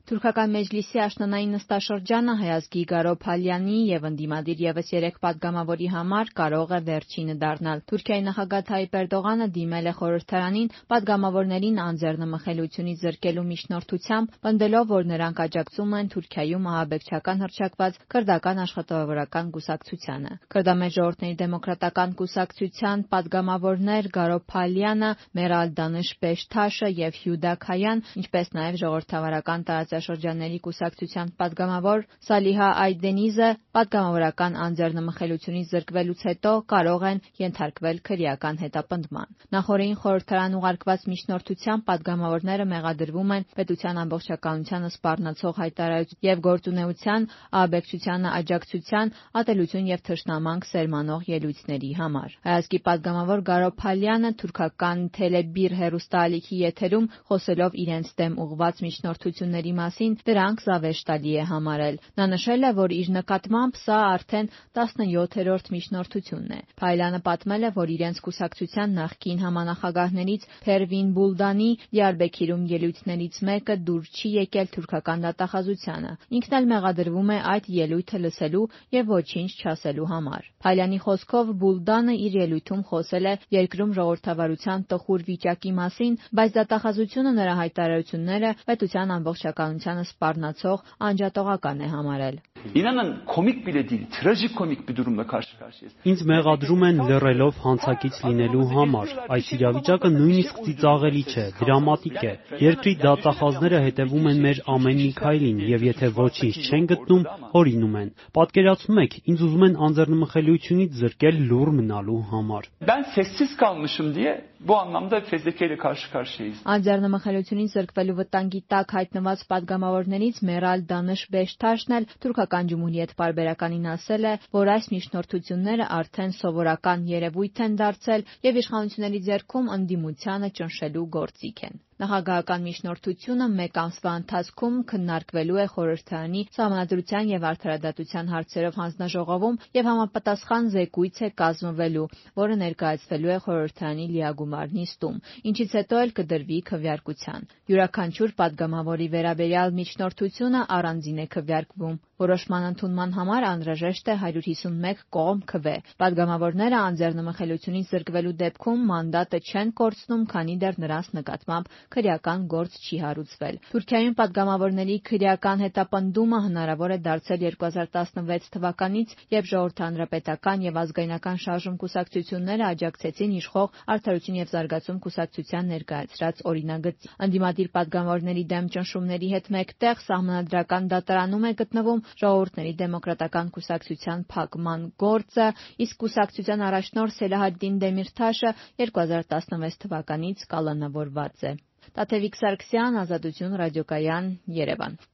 Թուրքական մեջլիսի աշնանային նստաշրջանը հայազգի Գարո Փալյանի եւ ընդդիմադիր եւս 3 падգամավորի համար կարող է վերջինը դառնալ։ Թուրքիայի նախագահ Թայիպ Էրդողանը դիմել է խորհրդարանին падգամավորներին անձեռնմխելիությունից զրկելու միջնորդությամբ, պնդելով, որ նրանք աջակցում են Թուրքիայում ահաբեկչական հռչակված քրդական աշխատավորական կուսակցությանը։ Քրդամեջ ժողովուրդների դեմոկրատական կուսակցության падգամավորներ Գարո Փալյանը, Մերալ Դանիշ Բեշթաշը եւ Հյուդա Քայան, ինչպես նաեւ ժողովրդավարական տարածաշրջանների կուսակցության падգամավոր Սալիհա Այդենիզը падգամավորական անձեռնմխելիությունից զրկվելուց հետո կարող են ենթարկվել քրեական հետապնդման։ Նախորդին խորհրդարան ուղարկված միջնորդությամբ падգամավորները մեղադրվում են պետության ամբողջականությանը սպառնացող հայտարարություն եւ գործունեության, ահաբեկչությանը աջակցության, ատելություն եւ թշնամանք սերմանող ելույթների համար։ Հայազգի падգամավոր Գարո Փալյանը թուրքական Թելեբիր հեռուստաալիքի եթերում խոսելով իրենց դեմ ուղղված միջնորդությունների մասին դրանք զավեշտալի է համարել։ Նա նշել է, որ իր նկատմամբ սա արդեն 17-րդ միջնորդությունն է։ Փալյանը պատմել է, որ իրենց կուսակցության նախկին համանախագահներից Փերվին Բուլդանի Դիարբեքիրում ելույթներից մեկը դուր չի եկել թուրքական դատախազությանը։ Ինքն էլ մեղադրվում է այդ ելույթը լսելու եւ ոչինչ չասելու համար։ Փալյանի խոսքով Բուլդանը իր ելույթում խոսել է երկրում ժողովրդավարության տխուր վիճակի մասին, բայց դատախազությունը նրա հայտարարությունները պետության ամբողջականությանը սպառնացող անջատողական է համարել։ İnanın komik bile değil, trajikomik bir durumla karşı karşıyayız. Ինձ մեղադրում են լռելով հանցակից լինելու համար։ Այս իրավիճակը նույնիսկ ծիծաղելի չէ, դրամատիկ է։ Երկրի դատախազները հետևում են մեր ամեն մի քայլին եւ եթե ոչինչ չեն գտնում, հորինում են։ Պատկերացնում եք, ինձ ուզում են անձեռնմխելիությունից զրկել լուռ մնալու համար։ Ben sessiz kalmışım diye bu anlamda fezlekeyle karşı karşıyayız. Անձեռնմխելիությունից զրկվելու վտանգի տակ հայտնված падգամավորներից Մերալ Դանիշ Բեշթաշն էլ Թուրքական Ջումհուրիետ պարբերականին ասել է, որ այս միջնորդությունները արդեն սովորական երևույթ են դարձել եւ իշխանությունների ձեռքում ընդդիմությանը ճնշելու գործիք են։ Նախագահական միջնորդությունը մեկ ամսվա ընթացքում քննարկվելու է խորհրդարանի Սահմանադրության եւ արդարադատության հարցերով հանձնաժողովում եւ համապատասխան զեկույց է կազմվելու, որը ներկայացվելու է խորհրդարանի լիագումար նիստում, ինչից հետո էլ կդրվի քվեարկության։ Յուրաքանչյուր падգամավորի վերաբերյալ միջնորդությունը առանձին է քվեարկվում։ Որոշման ընդունման համար անհրաժեշտ է 151 կողմ քվե։ Падգամավորները անձեռնմխելիությունից զրկվելու դեպքում մանդատը չեն կորցնում, քանի դեռ նրանց նկատմամբ քրեական գործ չի հարուցվել։ Թուրքիայում падգամավորների քրեական հետապնդումը հնարավոր է դարձել 2016 թվականից, երբ ժողովրդհանրապետական եւ ազգայնական շարժում կուսակցությունները աջակցեցին իշխող Արդարություն եւ զարգացում կուսակցության ներկայացրած օրինագծին։ Ընդդիմադիր падգամավորների դեմ ճնշումների հետ մեկտեղ Սահմանադրական դատարանում է գտնվում Ժողովուրդների դեմոկրատական կուսակցության փակման գործը, իսկ կուսակցության առաջնորդ Սելահադդին Դեմիրթաշը 2016 թվականից կալանավորված է։ Տաթևիկ Սարգսյան, Ազատություն ռադիոկայան, Երևան։